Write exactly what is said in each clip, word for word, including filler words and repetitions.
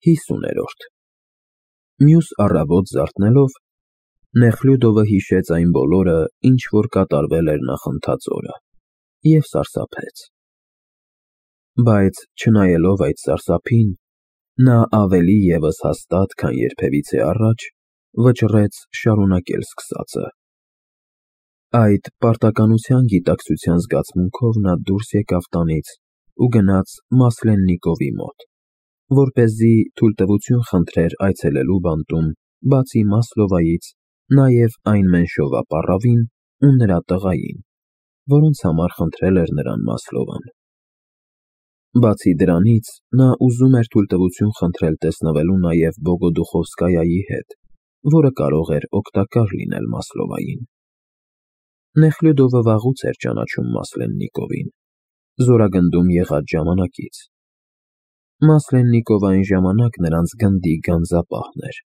Հիսուներորդ Մյուս առավոտ զարթնելով, Նեխլյուդովը հիշեց այն բոլորը, ինչ որ կատարվել էր նախընթաց օրը, և սարսափեց. Բայց չնայելով այդ սարսափին, նա ավելի ևս հաստատ, քան երբևիցե առաջ, վճռեց շարունակել սկսածը։ Այդ պարտականության գիտակցության զգացմունքով նա դուրս եկավ տանից ու գնաց Մասլեննիկովի մոտ, որպեսզի թույլտվություն խնդրեր այցելելու բանտում, բացի Մասլովայից, նաև այն մենշովա պառավին ու նրա տղային, որոնց համար խնդրել էր նրան Մասլովան։ Բացի դրանից, նա ուզում էր թույլտվություն խնդրել տեսնվելու նաև Բոգոդուխովսկայայի հետ, որը կարող էր օգտակար լինել Մասլովային։ Նեխլյուդովը վաղուց էր ճանաչում Մասլեննիկովին, զորագնդում եղած ժամանակից։ Մասլեննիկովը այն ժամանակ նրանց գնդի գանձապահն էր։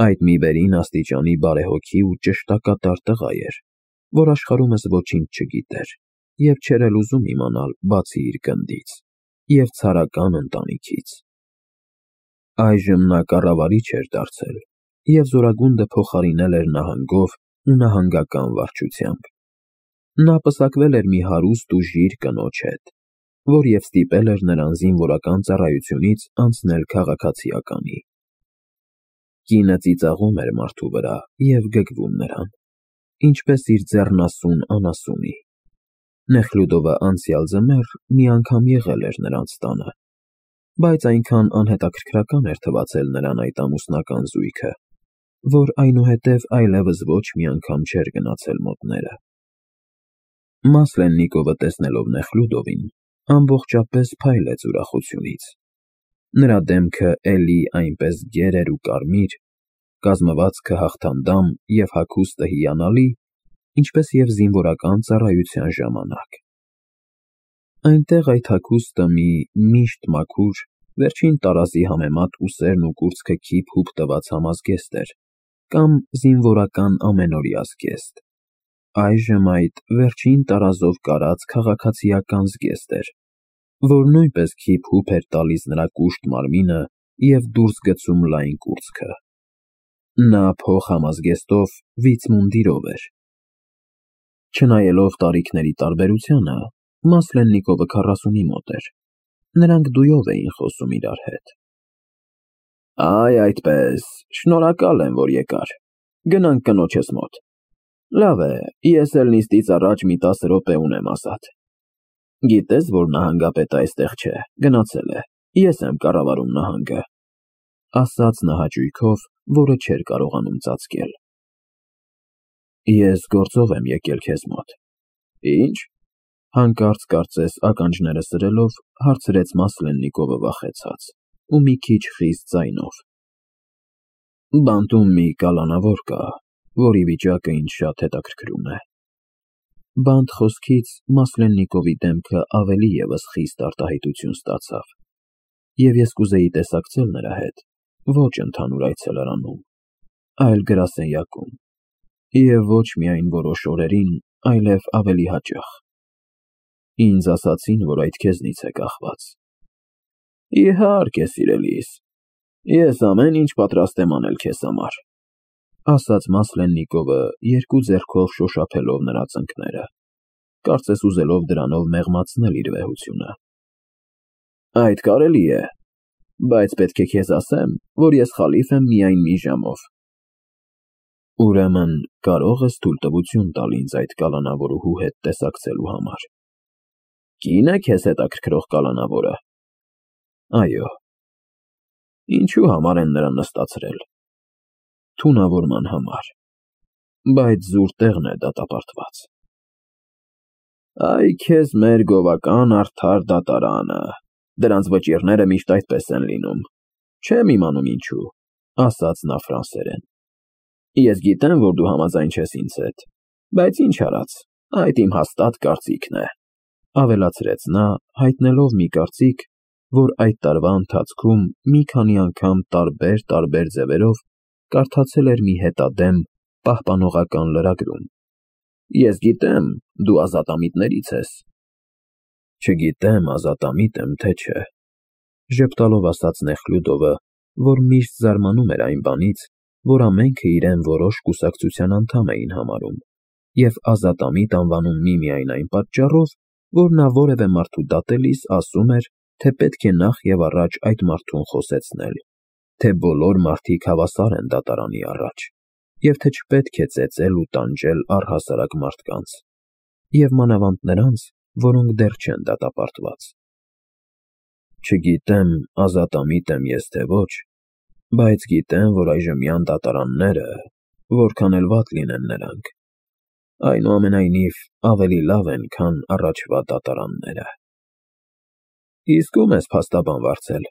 Այդ մի վերին աստիճանի բարեհոգի ու ճշտակատար տղա էր, որ աշխարհումս ոչինչ չգիտեր և չէր էլ ուզում իմանալ, բացի իր գնդից և ցարական ընտանիքից։ Այժմ նա կառավարիչ էր դարձել և զորագունդը փոխարինել էր նահանգով ու նահանգական վարչությամբ։ Նա պսակվել էր մի հարուստ ու ժիր կնոջ հետ, որ և ստիպել էր նրան զինվորական ծառայությունից անցնել քաղաքացիականի։ Կինը ծիծաղում էր մարդու վրա և գգվում նրան, ինչպես իր ձեռնասուն անասունի։ Նեխլյուդովը անցյալ ձմեռ մի անգամ եղել էր նրանց տանը, բայց այնքան անհետաքրքրական էր թվացել նրան այդ ամուսնական զույգը, որ այնուհետև այլևս ոչ մի անգամ չէր գնացել մոտները։ Մասլեննիկովը տեսնելով Նեխլյուդովին, ամբողջապես փայլեց ուրախությունից։ Նրա դեմքը էլի այնպես գեր էր ու կարմիր, կազմվածքը հաղթանդամ և հագուստը հիանալի, ինչպես և զինվորական ծառայության ժամանակ։ Այնտեղ այդ հագուստը մի միշտ մաքուր, վերջին տարազի համեմատ ուսերն ու կուրծքը քիփ֊հուփ տված համազգեստ էր, կամ զինվորական ամենօրյա զգեստ։ Այժմ այդ վերջին տարազով կարած քաղաքացիական զգեստ էր, որ նույնպես քիփ֊հուփ էր տալիս նրա կուշտ մարմինը և դուրս գցում լայն կուրծքը։ Նա փոխհամազգեստով վիցմունդիրով էր։ Չնայելով տարիքների տարբերությանը, Մասլեննիկովը քառասունի մոտ էր։ Նրանք դույով էին խոսում իրար հետ։ Այ այդպես, շնորհակալ եմ, որ եկար, գնանք կնոջս մոտ։ Լավ է, ես էլ նիստից առաջ մի տասը րոպե ունեմ ազատ։ Գիտես, որ նահանգապետը այստեղ չէ, գնացել է, ես եմ կառավարում նահանգը, ասաց նա հաճույքով, որը չէր կարողանում ծածկել։ Ես գործով եմ եկել քեզ մոտ։ Ի՞նչ։ Հանկարծ կարծես ականջները սրելով, հարցրեց Մասլեննիկովը վախեցած ու մի քիչ խիստ ձայնով։ Բանտում մի կալանավոր կա, որի վիճակը ինձ շատ հետաքրքրում է։ Բանտ խոսքից Մասլեննիկովի դեմքը ավելի ևս խիստ արտահայտություն ստացավ, և ես կուզեի տեսակցել նրա հետ, ոչ ընդհանուր այցելարանում, այլ գրասենյակում, և ոչ միայն որոշ օրերին, այլև ավելի հաճախ։ Ինձ ասացին, որ այդ քեզնից է կախված։ Իհարկե, սիրելիս, ես ամեն ինչ պատրաստ եմ անել քեզ համար, ասաց Մասլեննիկովը, երկու ձեռքով շոշափելով նրա ծնկները, կարծես ուզելով դրանով մեղմացնել իր վեհությունը։ Այդ կարելի է, բայց պետք է քեզ ասեմ, որ ես խալիֆ եմ միայն մի ժամով։ Ուրեմն կարո՞ղ ես թույլտվություն տալ ինձ այդ կալանավորուհու հետ տեսակցելու համար։ Կին է քեզ հետաքրքրող կալանավորը։ Այո։ Ինչու համար են նրան նստացրել։ Թունավորման համար, բայց զուր տեղն է դատապարտված։ Այ քեզ մեր գովական արդար դատարանը, դրանց վճիռները միշտ այդպես են լինում, չեմ իմանում ինչու, ասաց նա ֆրանսերեն։ Ես գիտեմ, որ դու համաձայն չես ինձ հետ, բայց ինչ արած, այդ իմ հաստատ կարծիքն է, ավելացրեց նա, հայտնելով մի կարծիք, որ այդ տարվա ընթացքում մի քանի անգամ տարբեր-տարբեր ձևերով կարդացել էր մի հետադեմ, պահպանողական լրագրում։ Ես գիտեմ, դու ազատամիտներից ես։ Չգիտեմ ազատամիտ եմ, թե չէ։ Ժպտալով ասաց Նեխլյուդովը, որ միշտ զարմանում էր այն բանից, որ ամենքը իրեն որոշ կուսակցության անդամ էին համարում, և ազատամիտ անվանում միմիայն այն պատճառով, որ նա որևէ մարդու դատելիս ասում էր, թե պետք է նախ և առաջ այդ մարդուն խոսեցնել, թե բոլոր մարդիկ հավասար են դատարանի առաջ, և թե չպետք է ծեծել ու տանջել առհասարակ մարդկանց, և մանավանդ նրանց, որոնք դեռ չեն դատապարտված։ Չգիտեմ ազատամիտ եմ ես թե ոչ, բայց գիտեմ, որ այժմյան դատարանները, որքան էլ վատ լինեն նրանք, այնուամենայնիվ ավելի լավ են, քան առաջվա դատարանները։ Իսկ ո՞ւմ ես փաստաբան վարձել։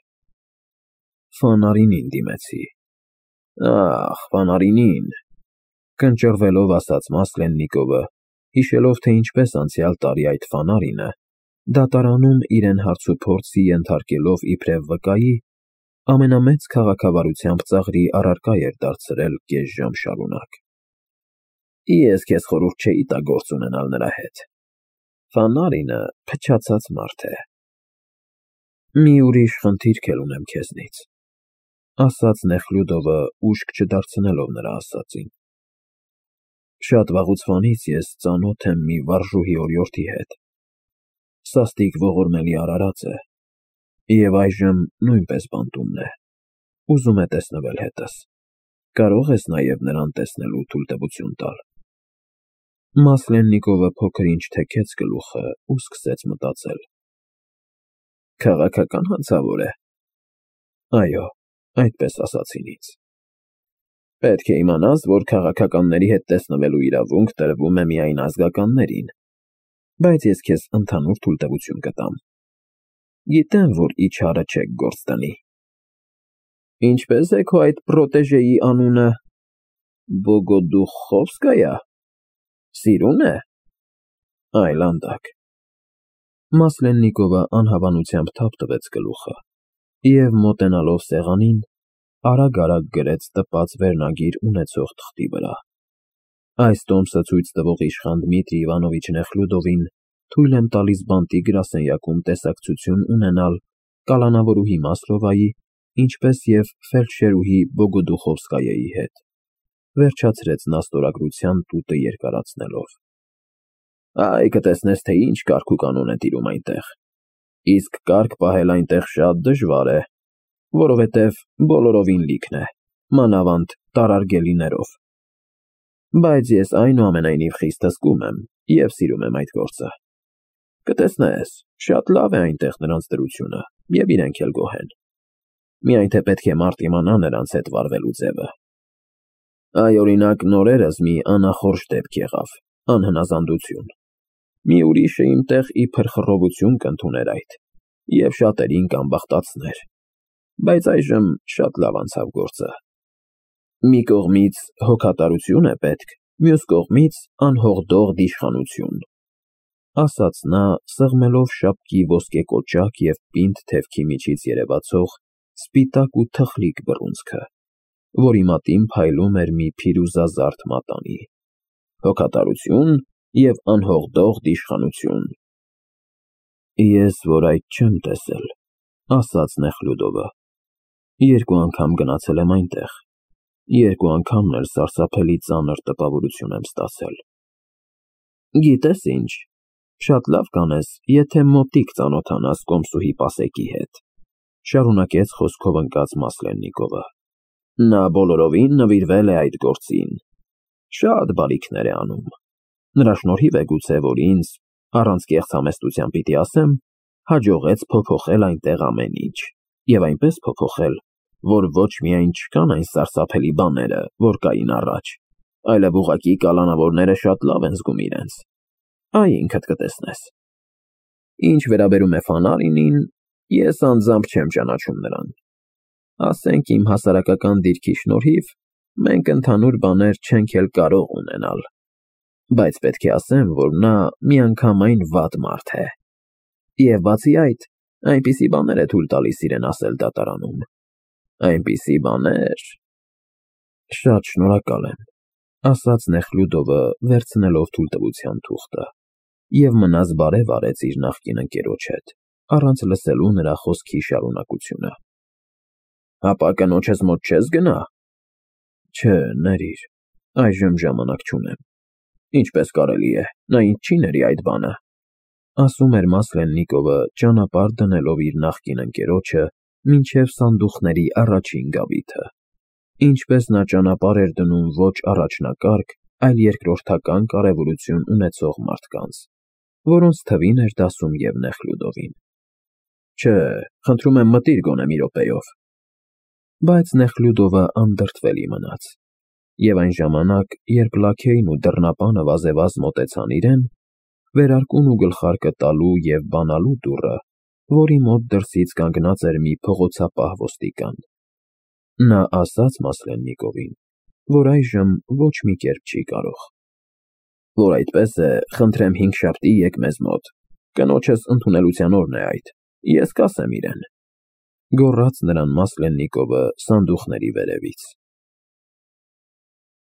Ֆանարինին դիմեցի։ Ախ, Ֆանարինին, կնճռվելով ասաց Մասլեննիկովը, հիշելով, թե ինչպես անցյալ տարի այդ Ֆանարինը, դատարանում իրեն հարցուփորձի ենթարկելով իբրև վկայի, ամենամեծ քաղաքավարությամբ ծաղրի առարկա էր դարձրել կես ժամ շարունակ։ Ես քեզ խորհուրդ չէի տա գործ ունենալ նրա հետ։ Ֆանարինը փչացած մարդ է։ Մի ուրիշ խնդիրք էլ ունեմ քեզնից, ասաց Նեխլյուդովը, ուշք չդարձնելով նրա ասածին։ Շատ վաղուց ես ծանոթ եմ մի վարժուհի օրիորդի հետ, սաստիկ ողորմելի արարած է, և այժմ նույնպես բանտումն է, ուզում է տեսնվել հետս, կարող ես նաև նրան տեսնելու թույլտվություն տալ։ Մասլեննիկովը փոքր-ինչ թեքեց գլուխը ու սկսեց մտածել։ Քաղաքական հանցավոր է։ Այո, այդպես ասացին ինձ։ Պետք է իմանաս, որ քաղաքականների հետ տեսնվելու իրավունք տրվում է միայն ազգականներին, բայց ես քեզ ընդհանուր թույլտվություն կտամ։ Գիտեմ, որ իչարը չեք գործ տնի։ Ինչպես է քո այդ պրոտեժեի անունը։ Բոգոդուխովսկայա։ Սիրուն է։ Այլանդակ։ Մասլեննիկովը անհավանությամբ թափ տվեց գլուխը և, մոտենալով սեղանին, արագ-արագ գրեց տպած վերնագիր ունեցող թղթի վրա։ Այս տոմսը ցույց տվող իշխան Դմիտրի Իվանովիչ Նեխլյուդովին թույլ եմ տալիս բանտի գրասենյակում տեսակցություն ունենալ կալանավորուհի Մասլովայի, ինչպես և ֆելդշերուհի Բոգոդուխովսկայայի հետ, վերջացրեց նա ստորագրության տուտը երկարացնելով։ Այ կտեսնես, թե ինչ կարգ ու կանոն է տիրում այնտեղ։ Իսկ կարգ պահել այնտեղ շատ դժվար է, որովհետև բոլորովին լիքն է, մանավանդ տարարգելիներով։ Բայց ես այնուամենայնիվ խիստ հսկում եմ և սիրում եմ այդ գործը։ Կտեսնես, շատ լավ է այնտեղ նրանց դրությունը, և իրենք էլ գոհ են։ Միայն թե պետք է մարդ իմանա նրանց հետ վարվելու ձևը։ Այ, օրինակ, նորերս մի անախորժ դեպք եղավ, անհնազանդություն։ Մի ուրիշը իմ տեղ իբր խռովություն կընդուներ այդ, և շատերին կանբախտացներ, բայց այժմ շատ լավ անցավ գործը։ Մի կողմից հոգատարություն է պետք, մյուս կողմից անհողդող դիշխանություն, ասաց նա, սեղմելով շապկի ոսկե կոճակ և պինդ թևքի միջից երևացող սպիտակ ու թխլիկ բռունցքը, որի մատին փայլում էր մի փիրուզազարդ մատանի։ Հոգատարություն և անհողդող դիշխանություն։ Ես որ այդ չեմ տեսել, ասաց Նեխլյուդովը, երկու անգամ գնացել եմ այնտեղ, երկու անգամն էլ սարսափելի ծանր տպավորություն եմ ստացել։ Գիտես ինչ, շատ լավ կանես, եթե մոտիկ ծանոթանաս Կոմսուհի Պասեկի հետ, շարունակեց խոսքով ընկած Մասլեննիկովը։ Նա բոլորովին նվիրվել է այդ գործին, շատ բարիքներ է անում։ Նրա շնորհիվ է գուցե, որ ինձ, առանց կեղծ համեստության պիտի ասեմ, հաջողեց փոփոխել այնտեղ ամեն ինչ, և այնպես փոփոխել, որ ոչ միայն չկան այն սարսափելի բաները, որ կային առաջ, այլև ուղղակի կալանավորները շատ լավ են զգում իրենց։ Այ ինքդ կտեսնես։ Ինչ վերաբերում է Ֆանարինին, ես անձամբ չեմ ճանաչում նրան։ Ասենք իմ հասարակական դիրքի շնորհիվ մենք ընդհանուր բաներ չենք էլ կարող ունենալ, բայց պետք է ասեմ, որ նա միանգամայն վատ մարդ է։ Եվ բացի այդ, այնպիսի բաներ է թույլ տալիս իրեն ասել դատարանում։ Այնպիսի բաներ… Շատ շնորհակալ եմ, ասաց Նեխլյուդովը, վերցնելով թույլտվության թուղթը, և մնաց բարև արեց իր նախկին ընկերոջ հետ, առանց լսելու նրա խոսքի շարունակությունը։ Հապա կնոջս մոտ չես գնա։ Չէ, ներիր, այժմ ժամանակ չունեմ։ Ինչպես կարելի է, նա ինձ չի ների այդ բանը, ասում էր Մասլեննիկովը ճանապարհ դնելով իր նախկին ընկերոջը մինչև սանդուղքների առաջին գավիթը, ինչպես նա ճանապարհ էր դնում ոչ առաջնակարգ, այլ երկրորդական կարևորություն ունեցող մարդկանց, որոնց թվին էր դասում և Նեխլյուդովին։ Չէ, խնդրում եմ մտիր գոնե մի րոպեով։ Բայց Նեխլյուդովը անդրդվելի մնաց, և այն ժամանակ, երբ լաքեյն ու դռնապանը վազեվազ մոտեցան իրեն, վերարկուն ու գլխարկը տալու և բանալու դուռը, որի մոտ դրսից կանգնած էր մի փողոցապահ ոստիկան, նա ասաց Մասլեննիկովին, որ այժմ ոչ մի կերպ չի կարող։ Որ այդպես է, խնդրեմ հինգշաբթի եկ մեզ մոտ, կնոջս ընդունելության օրն է այդ, ես կասեմ իրեն, գոռաց նրան Մասլեննիկովը սանդուղքների վերևից։